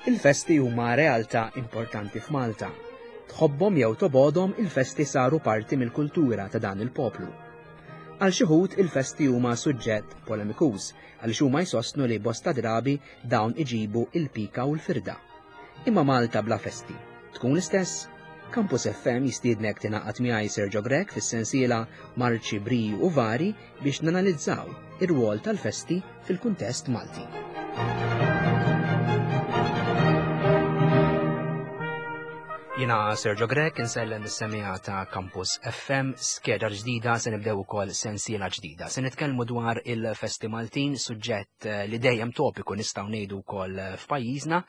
Il-festi huma realtà importanti f'Malta. Tħobbhom jew tobgħodhom il-festi saru parti mill-kultura ta' dan il-poplu. Għal xi wħud il-festi huma suġġett polemikuż għaliex huma jsostnu li bosta drabi dawn iġibu il-pika u l-firda. Imma Malta bla festi tkun l-istess? Campus FM jistiednek tingħaqad miegħi Sergio Grech fis-sensiela Marċi Briju u Vari biex nanalizzaw ir-rwol tal-festi fil-kuntest Malti. Jina Sergio Grech insellem is-semija ta' Campus FM, skeda ġdida se nibdew ukoll sensiela ġdida. Se nitkellmu dwar il-festi Maltin, suġġett eh, li dejjem topiku nistgħu ngħidu wkoll eh, f'pajjiżna,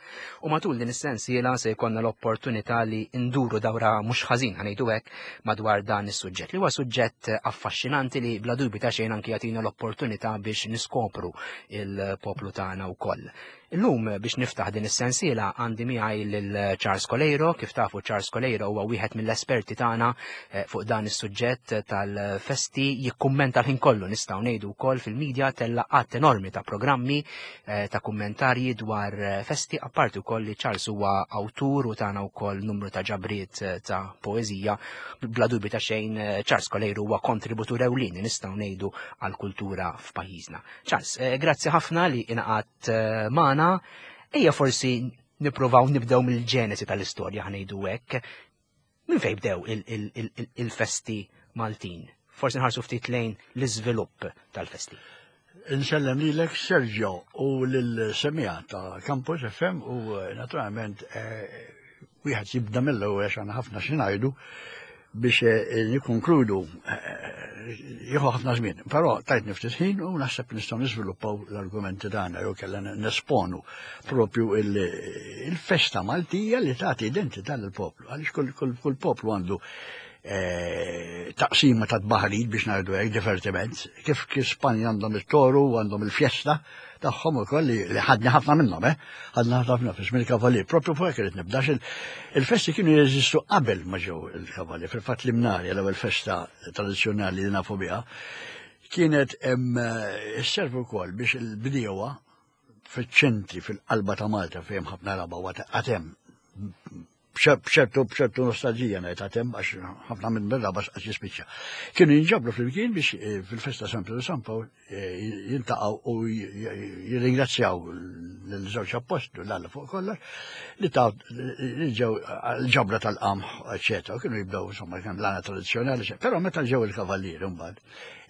u matul din is-sensiela se jkollna l-opportunità li nduru dawra mhux ħażin ħanejdu hekk madwar dan is-suġġett li huwa suġġett affaxxinanti li bla dubju ta' xejn anki jagħtina l-opportunità biex niskopru il-poplu tagħna wkoll. Illum biex niftaħ din is-sensiela għandi miegħi lil Charles Coleiro, kif tafu Charles Coleiro huwa wieħed mill-esperti tagħna eh, fuq dan is-suġġett tal-festi jikkummenta l-ħin kollu nistgħu ngħidu wkoll fil-medja tella qatt enormi ta' programmi eh, ta' kummentarji dwar eh, festi apparti wkoll li Charles huwa awtur u tagħna wkoll numru ta' ġabriet eh, ta' poeżija bla dubju ta' xejn Charles Kolejru huwa kontributur ewlieni nistgħu ngħidu għall-kultura f'pajjiżna. Charles, grazzi ħafna li ingħaqadt magħna. Ejja forsi nippruvaw nibdew mill-ġenesi tal-istorja ħanejdu hekk. Minn fejn bdew il-festi Maltin? Forsi nħarsu ftit lejn l-iżvilupp tal-festi. Insellem lilek Sergio u lil-semija ta' Campus FM u eh, naturalment eh, wieħed jibda mill-ewwel għax għandna ħafna xi ngħidu biex eh, nikkonkludu jieħu ħafna żmien. Però tajt niftit ħin u naħseb nistgħu niżviluppaw l-argumenti tagħna jew kellha nesponu propju il-festa Maltija li tagħti identità lill-poplu. Għaliex kull poplu għandu eh, taqsima ta' tbaħrid biex ngħidu hekk divertiment, kif kif Spanja għandhom it-toru għandhom il-fjesta tagħhom ukoll li ħadni ħafna minnhom, eh? Ħadna ħafna fi żmien il-kavalier, propju fuq hekk irid nibda il-festi kienu jeżistu qabel ma ġew il-kavalier, fil-fatt l-imnarja l-ewwel festa tradizzjonali li nafu biha kienet eh, isservi wkoll biex il-bdiewa fiċ-ċentri fil-qalba ta' Malta fejn ħafna raba wa għatem b'ċertu b'ċertu nostalġija ngħid għatem għax ħafna minn raba għax jispiċċa. Kienu jinġabru flimkien biex eh, fil-festa San Pedro San Pawl eh, jintaqgħu u jirringrazzjaw l-żewġ appostlu l-Alla fuq kollox li ta' li ġew l-ġabra tal-qamħ, eċetera, kienu jibdew insomma kien l-għana tradizzjonali, però meta ġew il-kavallieri mbagħad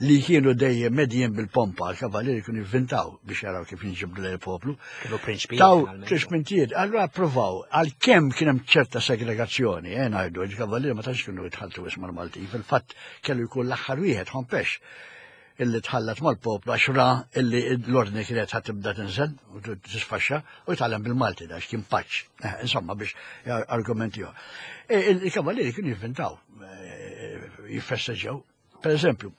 li kienu dejjem medjin bil-pompa, l-kavallieri kienu jivvintaw biex jaraw kif jinġibdu lejn il-poplu. Kienu prinċpijiet. Taw prinċpijiet, allura provaw, għalkemm kien hemm ċerta segregazzjoni, eh ngħidu, il-kavallieri ma tantx kienu jitħalltu isma' l-Maltin, fil-fatt kellu jkun l-aħħar wieħed ħompex illi tħallat mal-poplu għax ra illi l-ordni kienet ħat tibda tinżel u tisfaxxa u jitgħallem bil-Malti da kien paċ. Eh, insomma biex argumenti E, il-kavallieri kienu jivvintaw, eh, jiffesteġġew Per eżempju,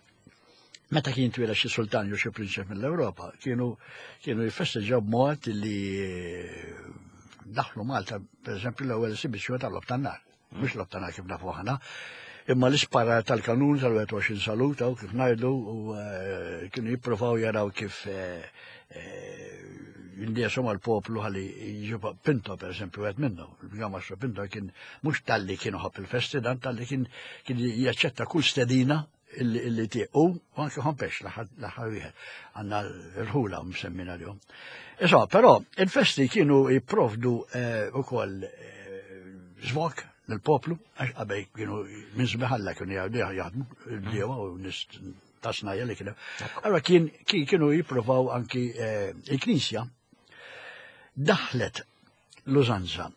meta kien twila xi sultan jew xi prinċep mill-Ewropa, kienu kienu jiffesteġġaw b'mod li daħlu Malta, per eżempju, l-ewwel esibizzjoni tal-lob tan-nar. Mhux lob tan-nar kif nafu aħna, imma l-ispara tal-kanun tal-21 saluta u kif ngħidu u eh, kienu jippruvaw jaraw kif eh, eh, jindiesu mal-poplu ħalli jġibu Pinto per eżempju għed minnu. Il-Gamastro Pinto kien mhux talli kien uħobb il-festi dan talli kien kien jaċċetta kull stedina illi tieq u anke ħompex l-aħħar wieħed għandna rħula msemmina l-jum. Insomma, però il-festi kienu jipprovdu eh, ukoll eh, żvok lill-poplu għax qabel kienu minn sbiħalla kienu jaħdmu il-bdiewa u nies ta' snajja li kienu. Allora kien kienu jippruvaw anki eh, il-Knisja daħlet l-użanza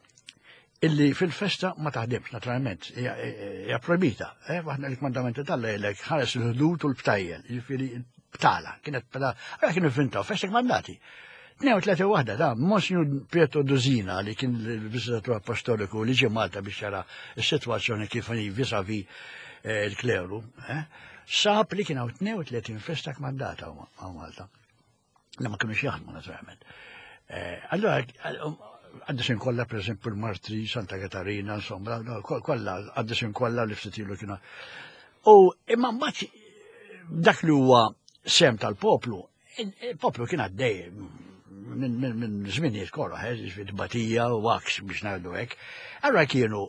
illi fil-festa ma taħdimx, naturalment, hija projbita. Eh, waħda l-kmandamenti tal-lejlek ħares il-ħdud u l-btajjel, jiġifieri btala, kienet btala, għara kienu fintaw, festa kmandati. 32 waħda da, Monsignor Pietro Duzina li kien il-viżitatur apostoliku li ġie Malta biex jara s-sitwazzjoni kif vis-a-vis eh, il-kleru, eh, sab li kien hawn 32 festa kmandata hawn Malta. Li ma kienux jaħdmu naturalment. Eh, allora, għaddisin kollha per esempio il-Martri, Santa Katarina, insomma, kollha għaddisin kollha li ftit ilu kienu. U imma mbagħad dak li huwa sem tal-poplu, il-poplu kien għaddej. minn żminijiet korra, eh, ġifieri tbatija u għaks biex ngħidu hekk. Allura kienu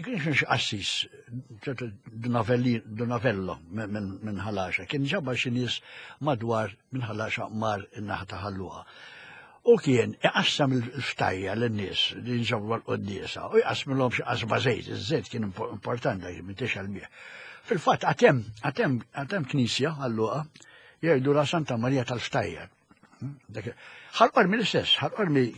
kien xi qassis ċertu Dunavello minn Ħalaxa, kien ġabar xi nies madwar minn Ħalaxa mar in-naħa ta' Ħalluqa. U kien iqassam il-ftajja lin-nies li nġabru għal-quddiesa u jqassmilhom xi qasba żejt, iż-żejt kien importanti dak minn tixgħel bih. Fil-fatt għatem, għatem, għatem knisja għalluqa jgħidu la Santa Marija tal-Ftajjar. Ħal-Qormi l-istess, ħal-Qormi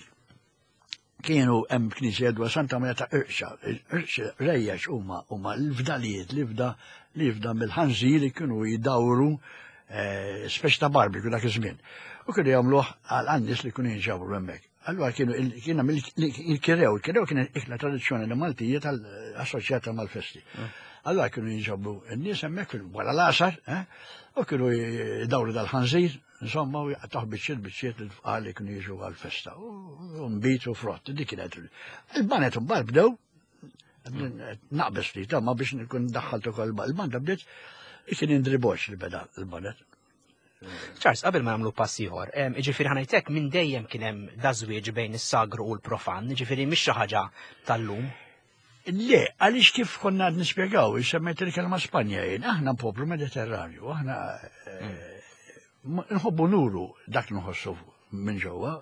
kienu hemm knisja dwar Santa Maria ta' Irxa, Irxa rejjex huma huma l-fdalijiet li fda li fda mill-ħanżir li kienu jdawru eh, speċi ta' barbecue dak iż-żmien. U kienu jagħmluh għal għan-nies li kienu jinġabru hemmhekk. Allura kienu kien hemm il-kirew, il-kirew kien ikla tradizzjonali Maltija tal-assoċjata mal-festi. Mm. Allura kienu jinġabru n-nies hemmhekk wara l-għasar, eh, u kienu jdawru dal-ħanżir Insomma, u jaqtaħ biċċiet biċċiet l-fqar li kienu jiġu għal-festa. U nbit u frott, dik kienet. Il-banet mbagħad bdew naqbes ftit, ma biex nkun daħħalt ukoll il-banda bdiet kien Indri Boċ li beda l-banet. Charles, qabel ma nagħmlu pass ieħor, jiġifieri ħanajtek minn dejjem kien hemm dażwieġ bejn is-sagru u l-profan, jiġifieri mhix xi ħaġa tal-lum. Le, għaliex kif konna għad nispjegaw, semmejt il-kelma Spanja jien, aħna poplu Mediterranju, aħna eh, nħobbu nuru dak nħossu minn ġewwa,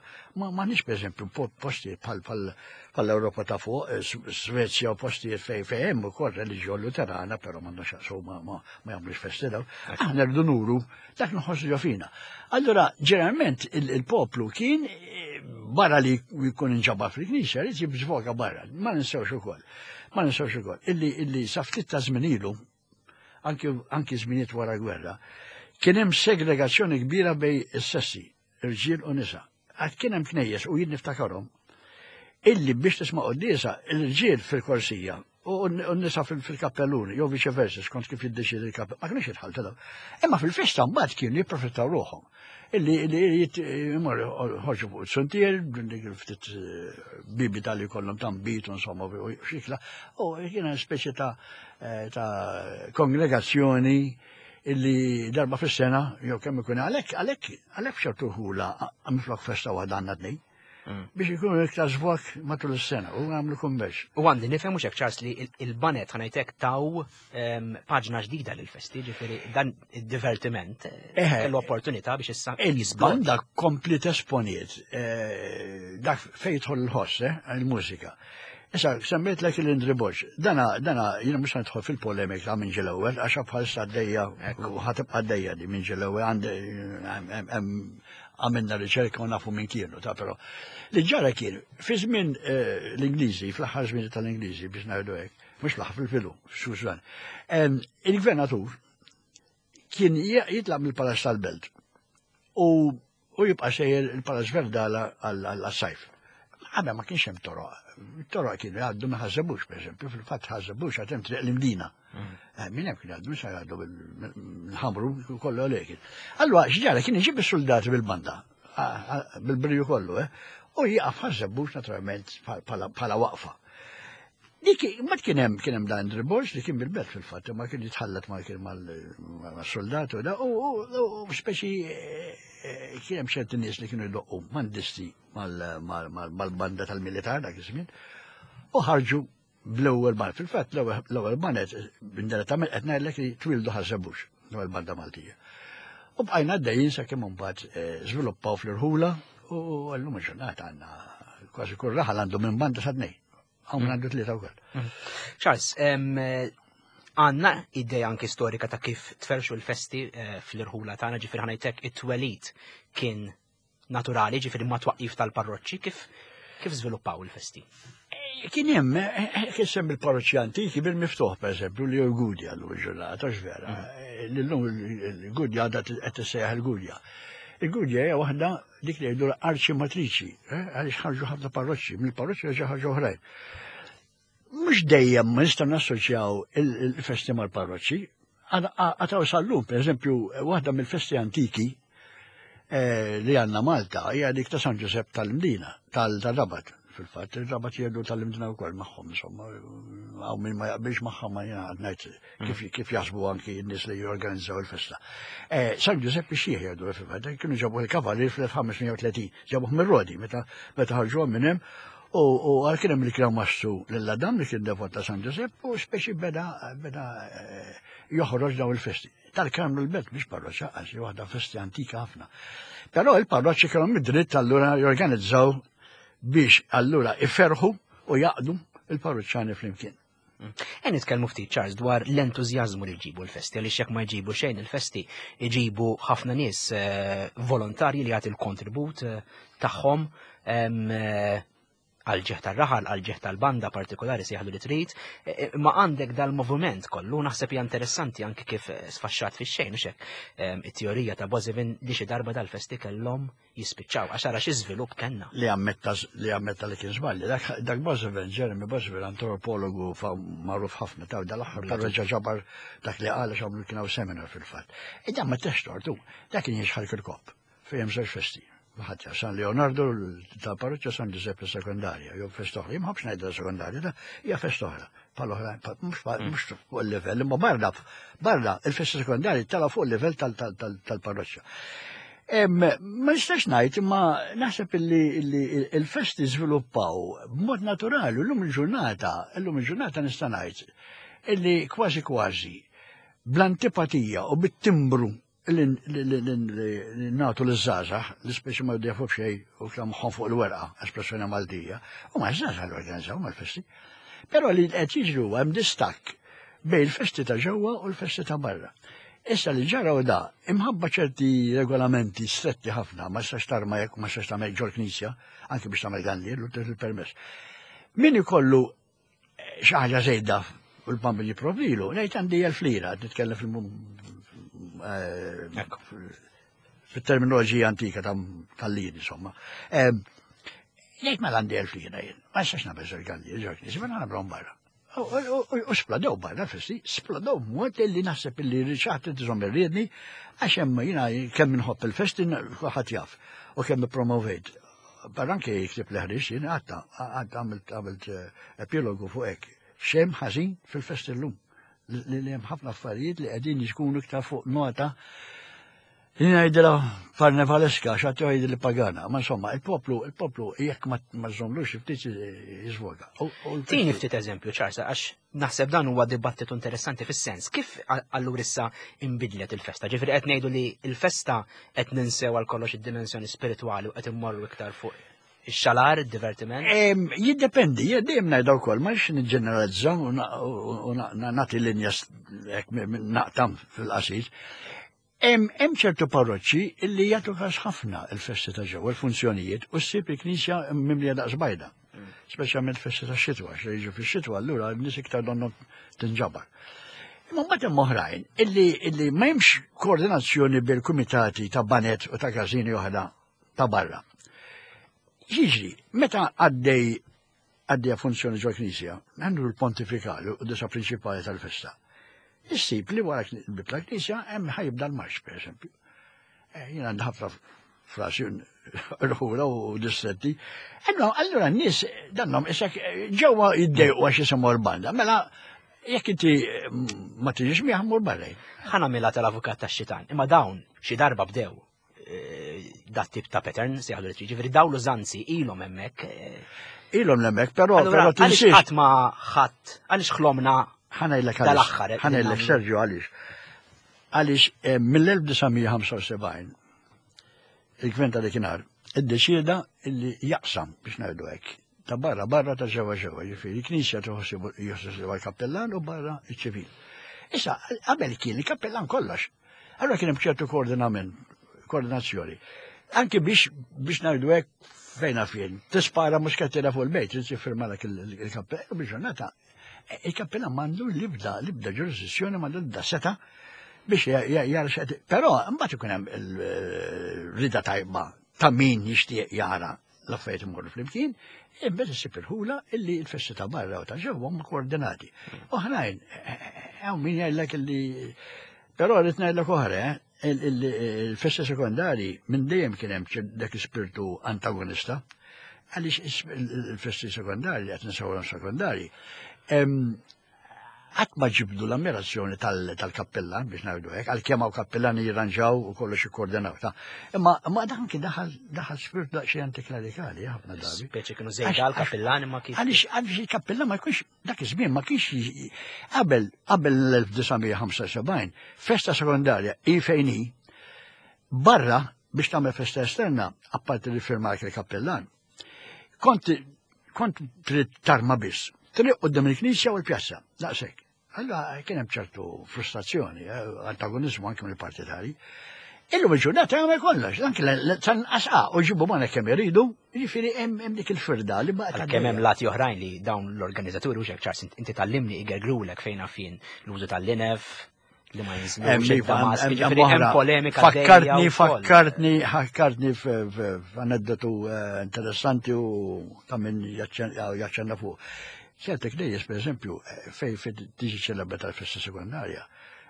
ma ma nix pereżempju postijiet bħal bħal-Ewropa ta' fuq, eh, Svezja u postijiet fejn fejn hemm ukoll reliġjon Luterana, però m'għandhom x'jaqsmu ma ma jagħmlux festi daw. Aħna rridu nuru dak nħossu ġo fina. Allura, ġeneralment il-poplu kien eh, barra li jkun inġabar fil-knisja, jrid jibżvoga barra. Ma ninsewx ukoll. Ma ninsewx ukoll. Illi illi sa ftit ta' żmien ilu, anki anki żminijiet wara gwerra, kien hemm segregazzjoni kbira bej is-sessi, irġiel u nisa. Għad kien hemm knejjes u jien niftakarhom illi biex tisma' quddiesa l-irġiel fil-korsija u n-nisa fil-kappelluni, jew viċe versa, skont kif jiddeċiedi il-kappell, ma kienux jitħaltu daw. Imma fil-festa mbagħad kienu jipprofittaw ruħhom. Illi illi jmorru ħorġu fuq il-suntier, dik il-ftit eh, bibita li kollhom tambit insomma u xikla, u kiena speċi ta' eh, ta' kongregazzjoni illi darba fis-sena jew kemm ikun għalhekk għalhekk għalhekk f'ċertu ħula minflok festa waħda għandna tnejn. Mm. Biex ikunu iktar żvok matul is-sena u għamlu kummerċ. U għandi nifhem mhux hekk Charles li il-banet ħanajtek taw ehm, paġna ġdida lill-festi, ġifieri dan id-divertiment eh, kellu opportunità biex issa Il-banda kompli tesponiet eh, dak fejn jidħol il-ħoss, eh, il-mużika. Issa, semmejt lek il-Indri Borg. Dana, dana, jiena mhux nidħol fil-polemika minn ġil ewwel, għax bħalissa għaddejja u ħatibqa' għaddejja di minn ġil ewwel għandi għamilna riċerka u nafu minn kienu ta' però. Li ġara kien, fi żmien eh, l-Ingliżi, fl-aħħar żmien tal-Ingliżi biex ngħidu hekk, mhux fl-aħħar fil-filu, xużan. Il-gvernatur kien jitlaq mill-Palazz tal-Belt u u jibqa' sejjer il-Palazz Verdala għal-sajf. Qabel ma kienx hemm toroq. Toroq kienu jgħaddu minn Ħażebux, pereżempju, fil-fatt Ħażebux għad hemm triq l-Imdina. Mm. Eh, minn hemm kienu jgħaddu, sa jgħaddu mill-ħamru kollu għalhekk. Allura x'ġara kien iġib is-soldati bil-banda, bil-briju kollu, eh, u jieqaf Ħażebux naturalment bħala waqfa. Dik, ma kien hemm kien hemm dan Andrew Borg li kien bil-belt fil-fatt, ma kien jitħallat ma kien mal-soldat u da, u speċi eh, kien hemm ċerti nies li kienu jdoqqu mandisti mal-banda tal-militar dak iż-żmien u ħarġu bl-ewwel band. Fil-fatt l-ewwel band indirettament qed ngħidlek li twildu ħażebux l-ewwel banda Maltija. U bqajna għaddejjin sakemm imbagħad eh, żviluppaw fl-irħula u llum il-ġurnata għandna kważi kull raħal għandu minn banda sa tnejn. Hawn mm. għandu tlieta wkoll. Mm. Charles, għanna idea anki storika ta' kif tferxu l-festi eh, fl-irħula tagħna ġifier ħanajtek it-twelid kien naturali, ġifieri ma twaqqif tal-parroċċi, kif kif żviluppaw il-festi? Eh, kien hemm eh, eh, kien semmi l-parroċċi antiki bil-miftuħ pereżempju li l-Gudja llum il-ġurnata vera. Mm. Illum il-Gudja għadha qed tissejjaħ il-Gudja. Il-Gudja hija waħda dik li jgħidu arċi matriċi, għaliex ħarġu ħafna parroċċi, mill-parroċċi reġa' ħarġu oħrajn. Mhux dejjem ma nistgħu nassoċjaw il-festi mal-parroċċi. Għataw sal-lum, per eżempju, waħda mill-festi antiki eh, li għandna Malta hija dik ta' San Ġusepp tal-Mdina, tal-Rabat. fil-fatt, il-Rabat jgħidu tal-imdina wkoll magħhom, insomma, hawn min ma jaqbilx magħhom ma jiena ngħid kif kif jaħsbu anki n-nies li jorganizzaw il-festa. Eh, San Giuseppe Xieħ jgħidu fil-fatt, kienu ġabu il-kavalier fl-1530, ġabuh mir-Rodi meta meta ħarġuhom minn hemm u għal kien hemm li kienu massu lil Adam li kien devot ta' San Giuseppe u speċi beda beda eh, joħroġ daw il-festi. Tal-Karmnu l-Belt mhix parroċċa għax hi waħda festi antika ħafna. Però il-parroċċi kellhom id-dritt allura jorganizzaw biex allura iferħu u jaqdu il-parroċċani flimkien. E nitkellmu ftit Charles dwar l-entużjażmu li jġibu l-festi, għaliex jekk ma jġibu xejn il-festi jġibu ħafna nies eh, volontarji li jagħti l-kontribut eh, tagħhom eh, għal ġieħ tar-raħal, għal ġieħ tal-banda partikolari sejħlu li trid, e, e, ma għandek dal-moviment kollu, naħseb hija interessanti anki kif sfaxxat fix-xejn u xek it-teorija ta' Bozevin li xi darba dal-festi kellhom jispiċċaw għax ara xi żvilupp kellna. Li ammetta li ammetta li kien żballi. Dak, dak Bozevin, Jeremy Bozevin, antropologu magħruf ħafna ta' dal-aħħar però reġa' ġabar dak li qal għax għamlu kien hawn seminar fil-fatt. E dan ma tex tortu, dak kien jixħal kirkop. Fejn hemm żewġ festi. Ħadd San Leonardo tal-parroċċa San Giuseppe sekondarja, jew festa oħra. Jien ma ħobbx ngħidha sekondarja, da hija festa oħra. Bħal oħra, mhux mm. fuq il-livell, imma barra, barra il-festa sekondarja tala fuq il-livell tal-parroċċa. Ma nistax ngħid, imma naħseb illi il-festi żviluppaw b'mod naturali llum il-ġurnata, illum il-ġurnata nista' ngħid illi kważi kważi bl-antipatija u bit-timbru li nagħtu liż-żgħażagħ li speċi ma jafu xejn u moħħhom fuq il-werqa, espressjoni Maltija, u ma żgħażagħ li organizzaw mal-festi. Però li qed jiġri huwa hemm distakk bejn il-festi ta' ġewwa u l-festi ta' barra. Issa li ġara u da, imħabba ċerti regolamenti stretti ħafna, ma sax tarma jekk ma sax tagħmel ġol knisja, anki biex tagħmel ganni, l-permess. Min ikollu xi ħaġa żejda u l-bambin jipprovdilu, ngħid għandi elf lira, nitkellem fil eh, fit-terminoloġija antika tal-liri, insomma. Eh, jgħid mela għandi 1000 lira jien, ma nistax nagħmel żewġ għandi, żewġ nies, ma nagħmlhom barra. U splodew barra festi, splodew mod li naħseb li riċaħt tżomm irriedni, għax hemm jiena kemm inħobb il-festi kulħadd jaf u kemm ippromovejt. Barra anke jiktib li ħriġ jien għatta, għatta għamilt għamilt eh, epilogu fuq hekk. Xem ħażin fil-fest illum. Li hemm ħafna affarijiet li qegħdin jkunu iktar fuq nota li ngħidilha karnevaleska x'għad jgħid li pagana. Ma insomma, il-poplu, il-poplu jekk ma żommlux ftit jiżvoga. Tini ftit eżempju ċarsa għax Naħseb dan huwa dibattitu interessanti fis-sens kif allura issa inbidlet il-festa. Ġifieri qed ngħidu li l-festa qed ninsew għal kollox id-dimensjoni spiritwali u qed immorru iktar fuq ix-xalar, id-divertiment? Jiddependi, dejjem ngħidha wkoll, ma nix niġġeneralizza u nagħti linja naqtam fil-qasir. Hemm ċertu parroċċi li jagħtu każ ħafna il-festi ta' ġewwa, il-funzjonijiet, u ssib il-knisja mimlija daqs bajda. Speċjalment festi ta' xitwa, xi jiġu fix-xitwa allura n-nies iktar donnu tinġabar. Imma mbagħad hemm oħrajn illi illi ma hemmx koordinazzjoni bil-kumitati ta' banet u ta' każini oħra ta' barra. Jiġri, meta għaddej għaddejja funzjoni ġol knisja, għandu l-pontifikali u disa prinċipali tal-festa. Issib li wara l-bib tal-knisja hemm ħajibda l-marx, per eżempju. Eh, jien għandi ħafna frasi rħura u distretti. Allora, allura n-nies dannom isek ġewwa jiddejqu għax jisimgħu l-banda. Mela jekk inti mm, ma tiġix miegħ mur barra. Ħa nagħmilha tal-avukat tax-xitan, imma dawn xi darba bdew Eh, dat tip ta' pattern, se jgħidu li ġifieri daw l-użanzi ilhom hemmhekk. Eh. Ilhom hemmhekk, però però tinsiex. Qatt ma ħadd għaliex ħlomna ħanajlek dal-aħħar. Eh, ħanajlek Sergio għaliex. Għaliex mill-1975 il-gvern ta' dakinhar iddeċieda illi jaqsam biex ngħidu hekk ta' barra barra ta' ġewwa ġewwa, ġifieri knisja tħossibu l-kappellan u barra iċ-ċivil. Issa qabel kien il-kappellan kollox. Allora kien hemm ċertu koordinament, koordinazzjoni. Anki biex biex ngħidu hekk fejn fien, tispara mhux kattira fuq il-bejt, trid tiffirma dak il-kappell, biex ġurnata il-kappella m'għandu l-ibda l-ibda ġurisdizzjoni m'għandu l-ibda seta biex jara x'qed. Però mbagħad ikun hemm il-rida tajba ta' min jixtieq jara l-affarijiet imorru flimkien, imbagħad issib il-ħula illi l-festi ta' barra u ta' ġewwa huma koordinati. Oħrajn, hawn min jgħidlek illi però rrid ngħidlek oħra, eh, il-festi sekondari minn dejjem kien hemm dak ispirtu antagonista. Għaliex il-festi sekondarji, qed nsewwhom sekondarji, qatt ma ġibdu l-ammirazzjoni tal-kappellan biex ngħidu hekk, għalkemm hawn kappellani jirranġaw u kollox ikkoordinaw ta' imma ma dan kien daħal daħal spirit daqsxejn antiklerikali ħafna drabi. Speċi kienu żejda l-kappellan imma kif. Għaliex għaliex il-kappellan ma jkunx dak iż-żmien ma kienx qabel qabel l-1975 festa sekondarja i fejn hi barra biex tagħmel festa esterna apparti li firmark il-kappellan. Kont kont trid tarma biss. Triq quddiem il-knisja u l-pjazza, daqshekk. Allora kien hemm ċertu frustrazzjoni, eh, antagonizmu anke mill-partitari. Illum il-ġurnata jagħmel kollox, anke tanqas u ġibu ma kemm iridu, jiġifieri hemm dik il-firda li baqgħet. Kemm hemm lati oħrajn li dawn l-organizzaturi u xek ċars inti tallimni igergrulek fejn fien l-użu tal-linef, li ma jinżlux hemm polemika. Fakkartni, fakkartni, fakkartni f'aneddotu eh, interessanti u ta' min jaċċenna fuq. Ċerti knejjes, per eżempju, eh, fej fej tiġi ċelebrata l-festa sekundarja,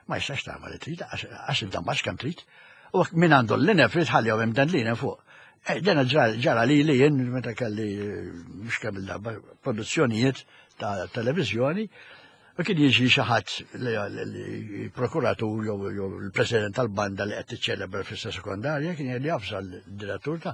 ma jistax tagħmel li trid, għax id-dammax kemm trid. U min għandu l-linef trid ħalli hemm dan l-linef fuq. Eh, dena ġara li li jien meta kelli mhux kemm il-darba produzzjonijiet ta' televizjoni U kien jiġi xi ħadd li prokuratur jew il-president tal-banda li qed tiċċelebra fissa sekondarja kien jgħid jafsa l-direttur ta'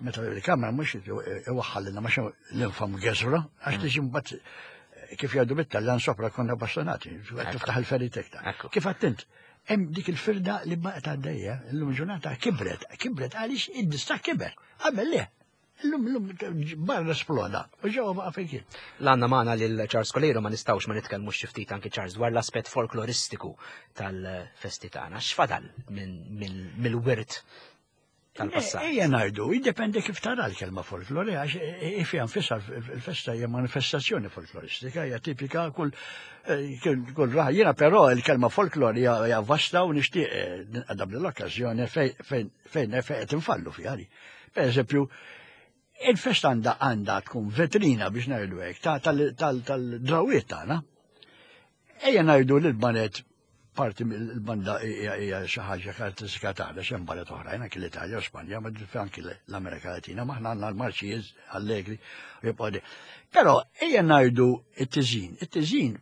meta il-kamra mhux iwaħħalilna ma l-infam geżra għax tiġi mbagħad kif jgħidu bit-Taljan sopra konna bastonati, tiftaħ il-ferit iktar. Kif għattint, hemm dik il-firda li baqgħet għaddejja, illum ġurnata kibret, kibret għaliex id-distak kiber. Qabel le, Illum, illum, barra sploda, u ġewwa baqa' fejn kien. L-għandna magħna lil Charles Coleiro ma nistgħux ma nitkellmux xi ftit anki Charles dwar l-aspett folkloristiku tal-festi tagħna. X'fadal mill-wirt tal-passat? Ejja ngħidu, jiddependi kif tara l-kelma folklori, għax fiha nfisha l-festa hija manifestazzjoni folkloristika, hija tipika kull eh, kull raħ. Jiena però l-kelma folklori hija vasta u nixtieq eh, ninqadab l-okkażjoni fejn fejn qed infallu fiha. Per eżempju, il-festa għandha għandha tkun vetrina biex ngħidu hekk tal-drawiet tagħna. Ejja ngħidu li l-banet parti mill-banda hija xi ħaġa karatteristika tagħna x'hemm banet oħrajn anki l-Italja u Spanja, ma anki l-Amerika Latina, ma aħna għandna l-marċijiet allegri u jibqgħu. Però ejja ngħidu it-tiżin, it-tiżin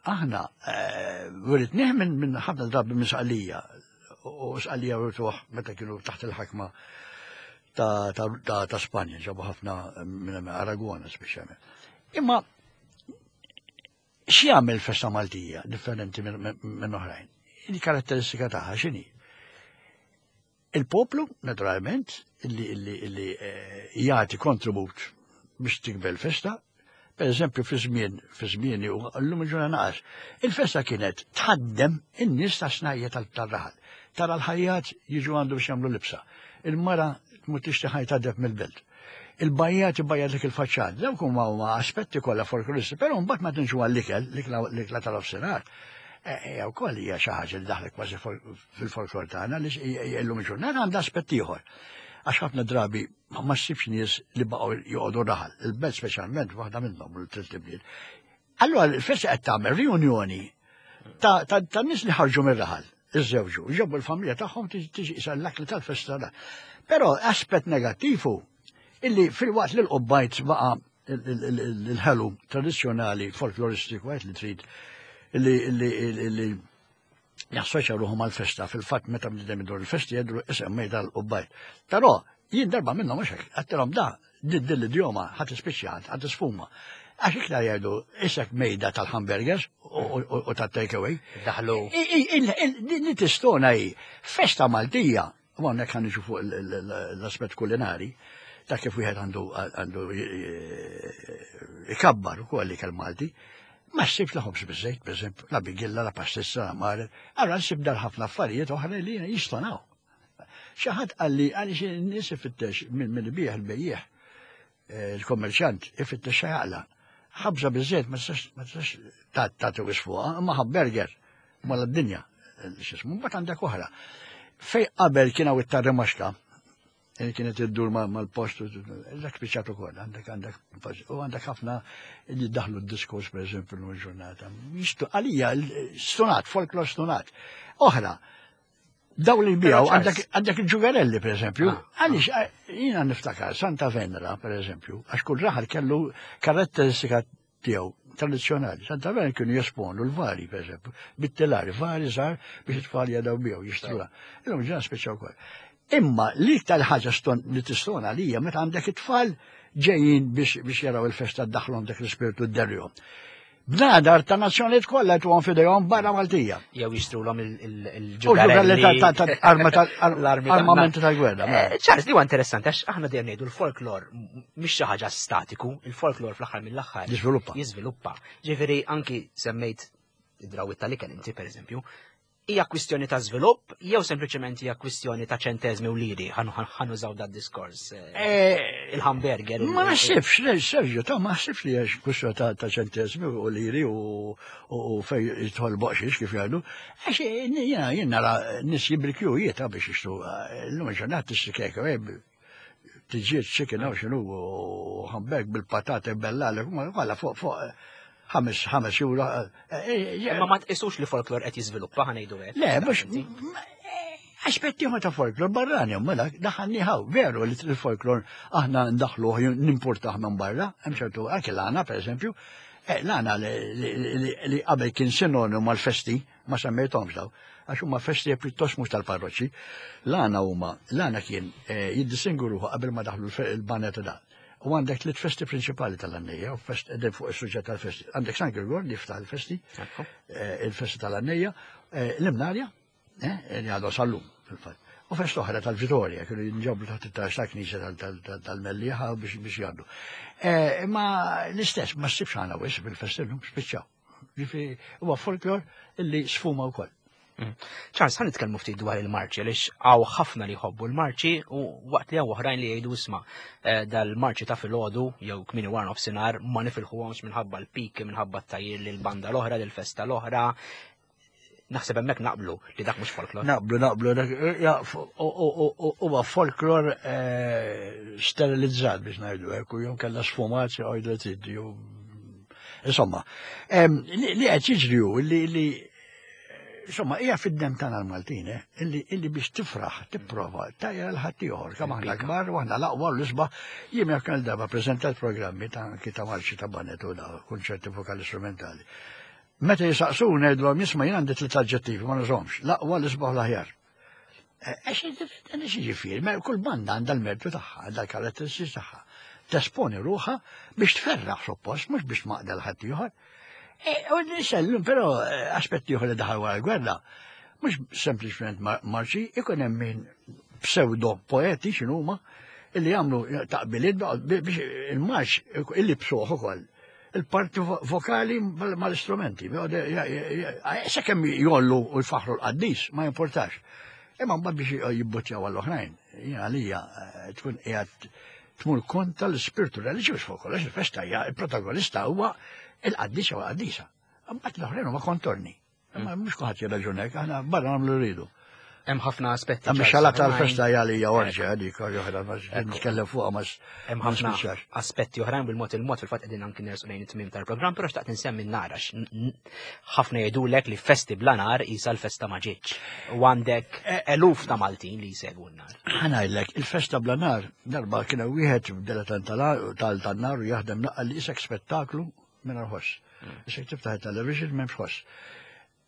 aħna eh, wiritnih minn ħafna drabi minn saqalija u Sqallija rtuh meta kienu taħt il-ħakma ta' Spanja, ġabu ħafna minn Aragona speċjalment. Imma x'jagħmel festa Maltija differenti minn oħrajn? Il-karatteristika tagħha x'inhi? Il-poplu, naturalment, illi eh, jagħti kontribut biex tikbel festa, per eżempju fi żmien fi żmieni u llum il-ġurnata naqas, il-festa kienet tħaddem in-nies ta' snajja tal-raħal. Tara l-ħajjat jiġu għandu biex jagħmlu libsa. Il-mara tmur tixtri ħajta deb mill-belt. Il-bajjat ibajjat dik il-faċċat. Dawk huma huma aspetti kollha folkloristi, però mbagħad ma tinxu għall-ikel, l-ikla tal-ofsinhar. Hija e, wkoll hija xi ħaġa li daħlet kważi fil-folklor tagħna li illum il-ġurnata għandha aspett ieħor. Għax ħafna drabi ma ssibx nies li baqgħu joqogħdu raħal, il-belt speċjalment waħda minnhom u l-tliet ibliet. Allura l-festa qed tagħmel riunjoni ta' nies li ħarġu mir-raħal, iżżewġu, ġabu l-familja tagħhom tiġi isa l-akli tal-festa. Però aspett negattiv hu illi fil-waqt li l-qubbajt baqa' il-ħelu tradizzjonali folkloristiku għed li trid illi jassoċja ruħu mal-festa, fil-fatt meta bniedem idur il-festi jgħidlu isem mejda l-qubbajt. Però jien darba minnhom mhux hekk, għattilhom da, din l-idjoma ħadd ispiċċa ħadd isfuma. Għax iktar jgħidu isek mejda tal-hamburgers u tat-takeaway. Daħlu. Li tistona hi festa Maltija U hawnhekk ħa niġu fuq l-aspett kulinari ta' kif wieħed għandu għandu ikabbar ukoll ikel Malti. Ma ssibx la ħobż biżejt, pereżempju, la bigilla, la pastizza, la mare. Allora ssib dar ħafna affarijiet oħra li jistonaw. Xi ħadd qalli għaliex in-nies ifittex minn ibih il-bejjiegħ eh, il-kommerċant ifittex xa jaqla. Ħabża biżejt ma tistax tagħti wis fuqha, imma ħabberger mala d-dinja eh, x'ismu, mbagħad għandek oħra. Fej qabel kien hawn it-tarrimaxka, eh, kienet iddur mal-post, dak spiċċat ukoll, għandek għandek u għandek ħafna li daħlu d-diskors per eżempju l-ġurnata. Għalija, stunat, folklor stunat. Oħra, Daw li jbijaw, għandek il-ġugarelli, per eżempju, ah, ah. għalix, jina niftakar, Santa Venera, per eżempju, għax kull raħal kellu karatteristika tiegħu tradizzjonali. Santa Venera kienu jesponu l-vari, per eżempju, bit-telari, vari żgħar biex it-tfal jadaw biegħu jixtruha. Illum ġena speċjaw ukoll. Imma l-iktar ħaġa li tistona lija meta għandek it-tfal ġejjin biex jaraw il-festa daħlhom dak l-ispirtu d-derjom. Bnadar ta' nazzjonijiet kollha jtuhom f'idejhom barra Maltija. Jew jixtrulhom il-ġugarelli tal-armamenti tal-gwerra. Eh, Charles, li huwa interessanti għax aħna dejjem ngħidu l-folklor mhix xi ħaġa statiku, il-folklor fl-aħħar mill-aħħar. Jiżviluppa. Jiżviluppa. Ġifieri anki semmejt id-drawit tal-ikel inti pereżempju, Hija kwistjoni ta' żvilupp jew sempliċement hija kwistjoni ta' ċenteżmi u liri ħanużaw dat diskors eh, eh, il-hamburger. Ma naħsibx, le, Sergio, ta' ma naħsibx li hija kwistjoni ta' ċenteżmi u liri u fej jidħol boqxiex kif jgħidu. Għax eh, jiena jien nara nies jibrikju jieta biex jixtru l-lum ġurnat tixtri kek, tiġiet chicken hawn x'inhu u hamburg bil-patata bella kollha fuq fuq ħames ħames euro. Eh, eh, eh, Ma ma tqisux li folklor qed jiżviluppa ħanejdu hekk. Le, mhux aspetti ta' folklor barrani, mela daħanniħaw, veru li l-folklor aħna ndaħluh nimportaħ minn barra, hemm ċertu anke l-għana pereżempju, l-għana li qabel kien sinonimu mal-festi, ma semmejthomx daw, għax huma festi pjuttost mhux tal-parroċċi. L-għana huma, l-għana kien jiddistingu ruħu qabel ma daħlu l-banet da. U għandek tliet festi prinċipali tal-għannejja, u fest edem fuq is-suġġett tal-festi. Għandek San Girgor li jiftaħ il-festi, eh, il-festi tal-għannejja, eh, l-Imnarja, eh, li għadu sal-lum fil-fatt. U fest oħra tal-Vitorja, kienu jinġabru taħt it-tax ta' knisja tal-Mellieħa biex jgħaddu. Imma l-istess, ma ssibx għana wis bil-festi l-lum spiċċaw. Ġifieri huwa folklor illi sfuma wkoll. Mm. Charles, ħan nitkellmu ftit dwar il-marċi, għaliex hawn ħafna li jħobbu l-marċi u waqt li hawn oħrajn li jgħidu isma' eh, dal-marċi ta' filgħodu jew kmini wara nofsinhar ma nifilħuhomx minħabba l-pik, minħabba t-tajjir lil banda l-oħra, lil festa l-oħra. Naħseb hemmhekk naqblu li dak mhux folklor. Naqblu, naqblu, eh, huwa folklor eh, sterilizzat biex ngħidu hekk u jew kellha sfumat jew jew Insomma, li qed jiġri hu li insomma, hija fid-dem tagħna l-Maltin, eh, illi biex tifraħ, tipprova, tajja l-ħaddieħor, kemm aħna kbar u aħna l-aqwa l-isba, jien jekk kell darba preżentat programmi ta' anki ta' marċi ta' banet u da' kunċerti vokali strumentali. Meta jisaqsu ngħidulhom jisma' jien għandi tliet aġġettivi ma nużhomx, l-aqwa l-isbaħ l-aħjar. Għax jiġifieri, kull banda għandha l-mertu tagħha, għandha l-karatteristiċi tagħha. Tesponi ruħha biex tferraħ suppost, mhux biex maqda l-ħadd ieħor. E, u nisellum, però e, aspetti ieħor li daħal wara l-gwerra, mhux sempliċement marċi, ikun hemm min pseudo poeti x'inhuma illi jagħmlu taqbiliet biex il-marċ illi bsuħ ukoll il-parti vokali mal-istrumenti. Sakemm jollu u jfaħru l-qaddis, ma jimportax. Imma mbagħad biex jibbuttjaw għall-oħrajn, jien għalija eh, tkun qiegħed tmur konta l-ispirtu reliġjuż fuq kollox il-festa hija il-protagonista huwa il-qaddis jew qaddisa. Mbagħad l-oħrajn huma kontorni. Imma mhux kulħadd jirraġunek, aħna barra nagħmlu rridu. Hemm ħafna aspetti. Hemm xala tal-festa hija li hija orġa dik oħra ma nitkellem fuqha ma Hemm ħafna aspetti oħrajn bil-mod il-mod fil-fatt qegħdin anki nersu lejn it-tmiem tal-programm, però xtaqt insemmi n-nar għax ħafna jgħidulek li festi bla nar isa l-festa ma ġietx. U għandek eh, eluf ta' Maltin li jsegwu n-nar. Ħanajlek, il-festa bla nar, darba kien wieħed dilettant tal-nar u jaħdem naqqa li isek spettaklu mingħajr ħoss. Mm. Issa tiftaħ it-television m'hemmx ħoss.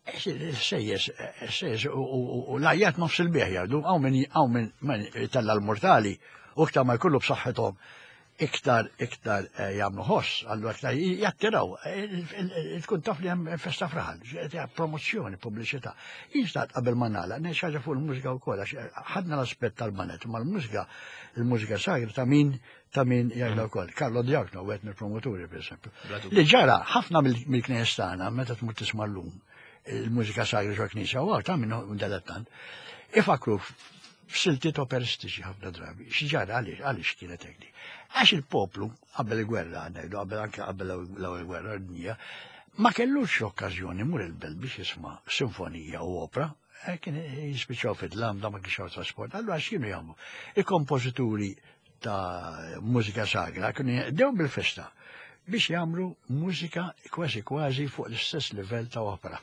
Sejjes, sejjes, u lajjat nofs il-bieħ jgħidu, għaw minn għaw minn tella l-mortali, u iktar ma jkollu b'saħħithom iktar iktar eh, jagħmlu ħoss, allura iktar jattiraw, eh, tkun taf li hemm festa fraħal, promozzjoni, pubbliċità. Jinstat qabel ma nagħlaq, ngħid ħaġa fuq il-mużika wkoll għax eh, ħadna l-aspett tal-banet, ma l-mużika, il-mużika sagra ta' min ta' min jgħidha mm. wkoll. Carlo Diagno, wieħed mill-promoturi, per esempio. Li ġara ħafna mill-knejjes tagħna meta tmur tisma' llum il-mużika sagra ġo knisja u ta' minn dilettant. Ifakru f'siltiet operistiċi ħafna drabi. X'ġara għaliex għaliex kienet hekk Għax il-poplu qabel il-gwerra, ngħidu qabel anke qabel l-ewwel gwerra dinja, ma kellux okkażjoni mur il-belt biex jisma' sinfonija u opera, eh, kien jispiċċaw fid-dlam da ma kienx trasport. Allura x'kienu jagħmlu? Il-kompożituri ta' mużika sagra kienu jaqdew bil-festa. Biex jagħmlu mużika kważi kważi fuq l-istess livell ta' opera.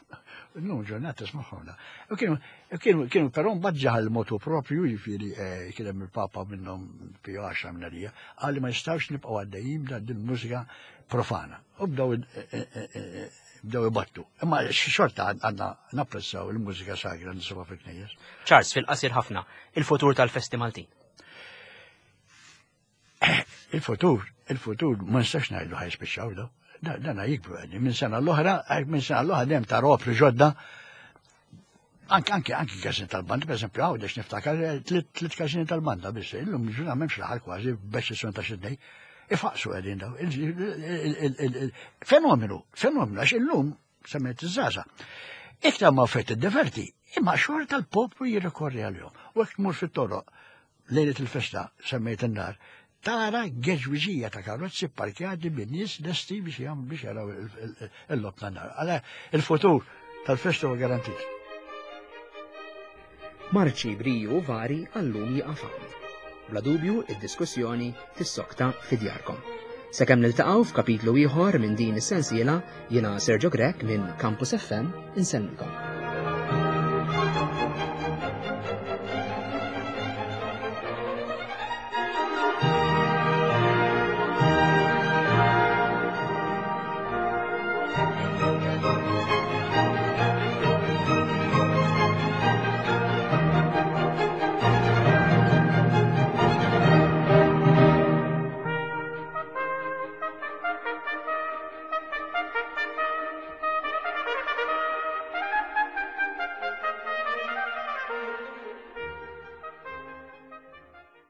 Illum ġurnata tismagħhom da. U kienu kienu kienu però mbagħad ġaħal motu propju jiġifieri eh, kien hemm il-Papa minnhom Pio 10 minn għalija, qal li ma jistgħux nibqgħu għaddejjin b'dan din mużika profana. U bdew eh, eh, bdew ibattu. Imma xorta għandna napprezzaw il-mużika sagra nisibu fil-knejjes. Charles, fil-qasir ħafna, il-futur tal-festi Maltin. Il-futur, il-futur ma nistax ngħidu ħajspiċċaw daw. Dana jikbru għedni, minn sena l-oħra, minn sena l-oħra dejjem ta' opri ġodda. Anke anke anke każin tal-banda, per eżempju, għawdex niftakar eh, tliet każini tal-banda biss, illum ġuna m'hemmx l-aħħar kważi b'eċċezzjoni ta' xi tnejn. Ifaqsu qegħdin daw. Fenomenu, fenomenu, għax illum semmejt iż-żgħażagħ. Iktar ma fet id-diverti, imma xorta l-poplu jirrikorri għalihom. U hekk tmur fit-toroq lejlet il-festa semmejt in-nar, tara geġwiġija ta' karozzi parkjati bin nies lesti biex jagħmlu biex jaraw il-lob tan-nar. Għala il-futur tal-festa huwa garantit. Marċi briju vari għallum jieqaf hawn. Bla dubju id-diskussjoni tissokta fi djarkom. Sakemm niltaqgħu f'kapitlu ieħor minn din is-sensiela, jiena Sergio Grech minn Campus FM insellmilkom.